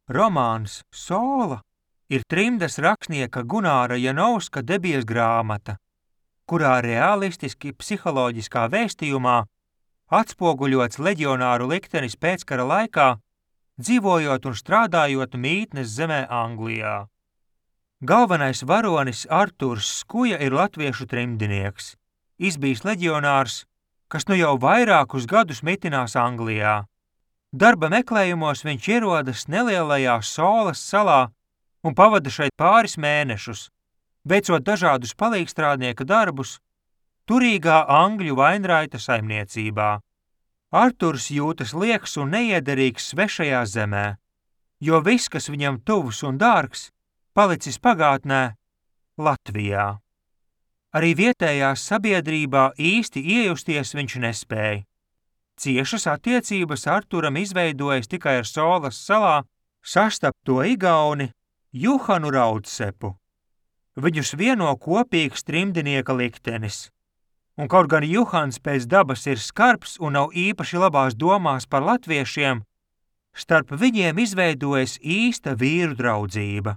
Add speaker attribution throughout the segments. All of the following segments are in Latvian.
Speaker 1: Romāns Sola ir trimdas rakstnieka Gunāra Janovska debijas grāmata, kurā realistiski psiholoģiskā vēstījumā atspoguļots leģionāru liktenis pēckara laikā, dzīvojot un strādājot mītnes zemē Anglijā. Galvenais varonis Arturs Skuja ir latviešu trimdinieks, izbijis leģionārs, kas nu jau vairākus gadus mitinās Anglijā. Darba meklējumos viņš ierodas nelielajā Solas salā un pavada šeit pāris mēnešus, veicot dažādus palīgstrādnieka darbus turīgā angļu vainraita saimniecībā. Arturs jūtas lieks un neiederīgs svešajā zemē, jo viss, kas viņam tuvs un dārgs, palicis pagātnē Latvijā. Arī vietējās sabiedrībā īsti iejusties viņš nespēja. Ciešas attiecības Arturam izveidojas tikai ar Solas salā sastapto igauni Juhanu Raudsepu. Viņus vieno kopīgs trimdinieka liktenis. Un kaut gan Juhans pēc dabas ir skarbs un nav īpaši labās domās par latviešiem, starp viņiem izveidojas īsta vīru draudzība.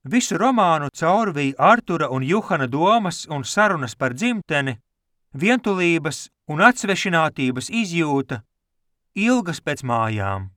Speaker 1: Visu romānu caurvīja Artura un Juhana domas un sarunas par dzimteni, vientulības un atsvešinātības izjūta, ilgas pēc mājām.